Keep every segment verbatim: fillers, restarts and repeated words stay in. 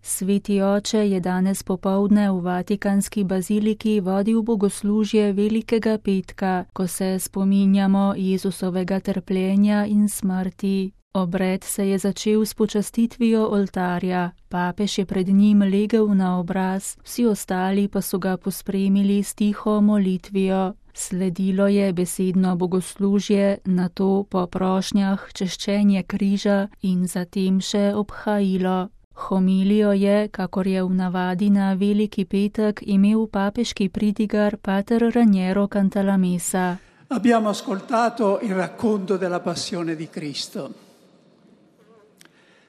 Sveti oče je danes popoldne v Vatikanski baziliki vodil bogoslužje Velikega petka, ko se spominjamo Jezusovega trpljenja in smrti. Obred se je začel s počastitvijo oltarja, papež je pred njim legel na obraz, vsi ostali pa so ga pospremili s tiho molitvijo. Sledilo je besedno bogoslužje, nato po prošnjah češčenje križa in zatem še obhajilo. Homilijo je, kakor je v navadi na Veliki petek, imel papeški pridigar pater Raniero Cantalamessa. Abbiamo ascoltato il racconto della passione di Cristo.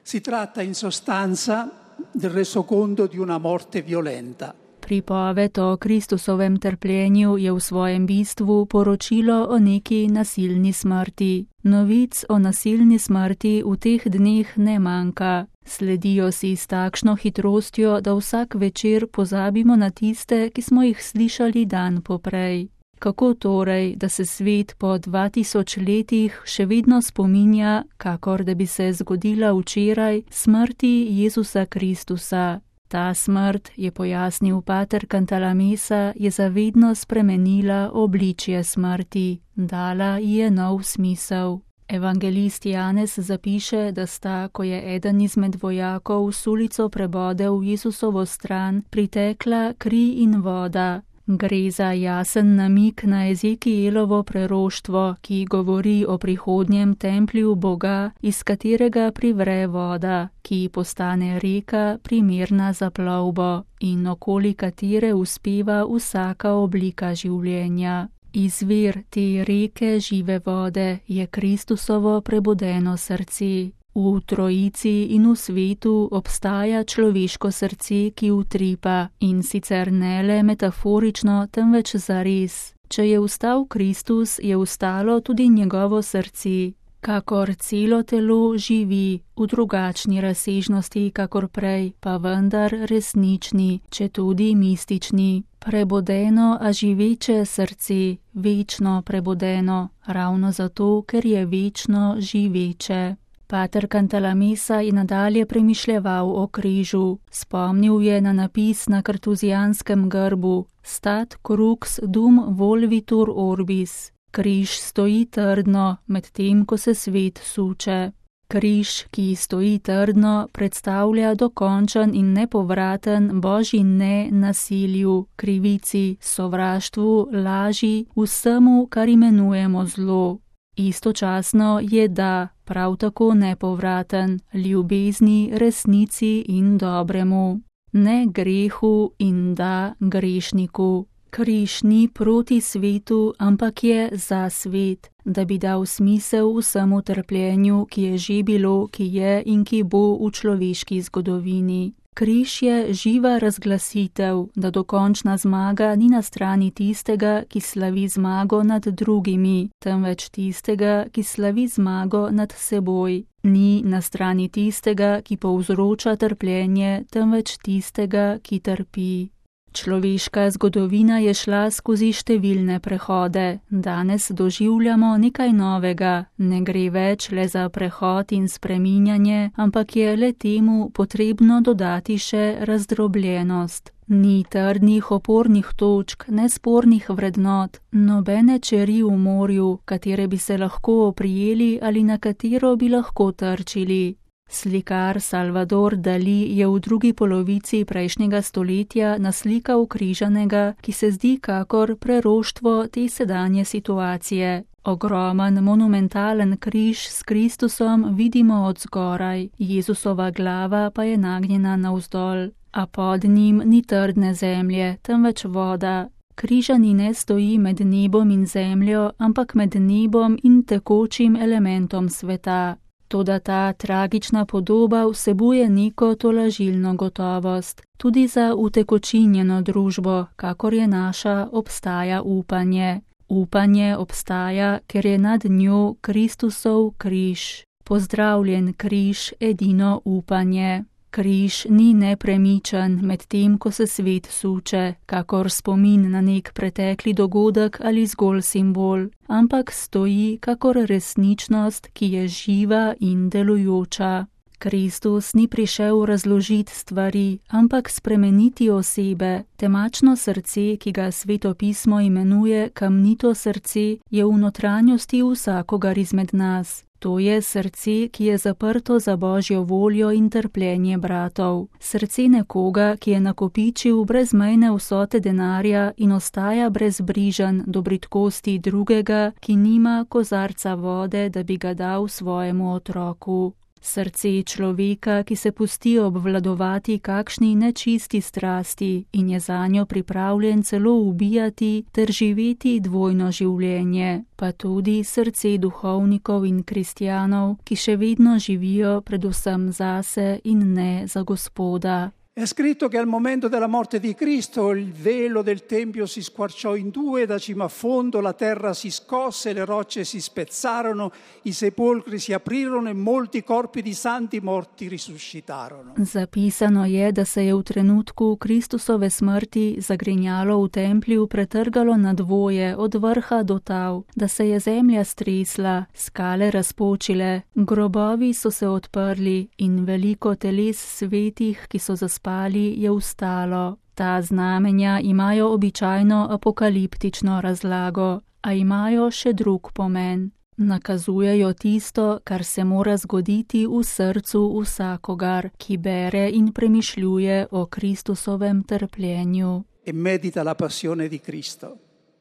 Si tratta in sostanza del resoconto di una morte violenta. Pripoved o Kristusovem trpljenju je v svojem bistvu poročilo o neki nasilni smrti. Novic o nasilni smrti v teh dneh ne manjka. Sledijo si s takšno hitrostjo, da vsak večer pozabimo na tiste, ki smo jih slišali dan poprej. Kako torej, da se svet po dva tisoč letih še vedno spominja, kakor da bi se zgodila včeraj, smrti Jezusa Kristusa? Ta smrt, je pojasnil pater Cantalamessa, je zavedno spremenila obličje smrti, dala ji je nov smisel. Evangelist Janez zapiše, da sta, ko je eden izmed vojakov s ulico prebodel Jezusovo stran, pritekla kri in voda. Gre za jasen namig na Ezekielovo preroštvo, ki govori o prihodnjem templju Boga, iz katerega privre voda, ki postane reka primerna za plovbo in okoli katere uspeva vsaka oblika življenja. Izvir te reke žive vode je Kristusovo prebudeno srce. V Trojici in v svetu obstaja človeško srce, ki utripa, in sicer ne le metaforično, temveč zares. Če je vstal Kristus, je vstalo tudi njegovo srce. Kakor celo telo živi, v drugačni razsežnosti kakor prej, pa vendar resnični, če tudi mistični. Prebudeno, a živeče srce, večno prebudeno, ravno zato, ker je večno živeče. Pater Cantalamessa je nadalje premišljeval o križu. Spomnil je na napis na kartuzijanskem grbu Stat crux dum volvitur orbis. Križ stoji trdno, medtem ko se svet suče. Križ, ki stoji trdno, predstavlja dokončen in nepovraten božji ne nasilju, krivici, sovraštvu, laži, vsemu, kar imenujemo zlo. Istočasno je da, prav tako nepovraten, ljubezni, resnici in dobremu. Ne grehu in da grešniku. Križ ni proti svetu, ampak je za svet, da bi dal smisel vsemu trpljenju, ki je že bilo, ki je in ki bo v človeški zgodovini. Križ je živa razglasitev, da dokončna zmaga ni na strani tistega, ki slavi zmago nad drugimi, temveč tistega, ki slavi zmago nad seboj. Ni na strani tistega, ki povzroča trpljenje, temveč tistega, ki trpi. Človeška zgodovina je šla skozi številne prehode. Danes doživljamo nekaj novega. Ne gre več le za prehod in spreminjanje, ampak je le temu potrebno dodati še razdrobljenost. Ni trdnih opornih točk, nespornih vrednot, nobene čeri v morju, katere bi se lahko oprijeli ali na katero bi lahko trčili. Slikar Salvador Dali je v drugi polovici prejšnjega stoletja naslikal križanega, ki se zdi kakor preroštvo te sedanje situacije. Ogromen, monumentalen križ s Kristusom vidimo od zgoraj, Jezusova glava pa je nagnjena navzdol, a pod njim ni trdne zemlje, temveč voda. Križani ne stoji med nebom in zemljo, ampak med nebom in tekočim elementom sveta. Toda ta tragična podoba vsebuje neko tolažilno gotovost. Tudi za utekočinjeno družbo, kakor je naša, obstaja upanje. Upanje obstaja, ker je nad njo Kristusov križ. Pozdravljen križ, edino upanje. Križ ni nepremičen med tem, ko se svet suče, kakor spomin na nek pretekli dogodek ali zgolj simbol, ampak stoji kakor resničnost, ki je živa in delujoča. Kristus ni prišel razložiti stvari, ampak spremeniti osebe. Temačno srce, ki ga Sveto pismo imenuje kamnito srce, je v notranjosti vsakogar izmed nas. To je srce, ki je zaprto za Božjo voljo in trpljenje bratov. Srce nekoga, ki je nakopičil brezmejne vsote denarja in ostaja brezbrižen do bridkosti drugega, ki nima kozarca vode, da bi ga dal svojemu otroku. Srce človeka, ki se pusti obvladovati kakšni nečisti strasti in je zanjo pripravljen celo ubijati ter živeti dvojno življenje, pa tudi srce duhovnikov in kristjanov, ki še vedno živijo predvsem zase in ne za Gospoda. È scritto che al momento della morte di Cristo il velo del Tempio si squarciò in due, da cima a fondo la terra si scosse, le rocce si spezzarono, i sepolcri si aprirono e molti corpi di santi morti risuscitarono. Zapisano je, da se je v trenutku Kristusove smrti zagrinjalo v templju pretrgalo na dvoje od vrha do tal, da se je zemlja stresla, skale razpočile, grobovi so se odprli in veliko teles svetih, ki so zaspali, je vstalo. Ta znamenja imajo običajno apokaliptično razlago, a imajo še drug pomen. Nakazujejo tisto, kar se mora zgoditi v srcu vsakogar, ki bere in premišljuje o Kristusovem trpljenju. E medita la passione di Cristo.